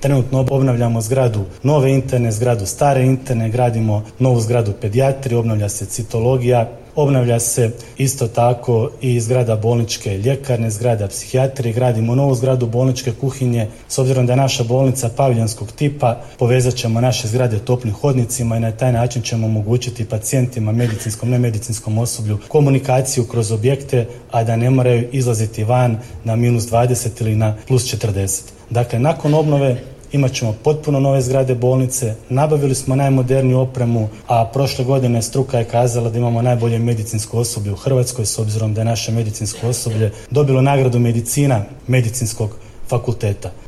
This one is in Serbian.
Trenutno obnavljamo zgradu nove interne, zgradu stare interne, gradimo novu zgradu pedijatrije, obnavlja se citologija, obnavlja se isto tako i zgrada bolničke ljekarne, zgrada psihijatrije, gradimo novu zgradu bolničke kuhinje. S obzirom da je naša bolnica paviljonskog tipa, povezat ćemo naše zgrade toplim hodnicima i na taj način ćemo omogućiti pacijentima, medicinskom, nemedicinskom osoblju, komunikaciju kroz objekte, a da ne moraju izlaziti van na -20 ili na +40. Dakle, nakon obnove imat ćemo potpuno nove zgrade bolnice, nabavili smo najmoderniju opremu, a prošle godine struka je kazala da imamo najbolje medicinsko osoblje u Hrvatskoj, s obzirom da je naše medicinsko osoblje dobilo nagradu medicina Medicinskog fakulteta.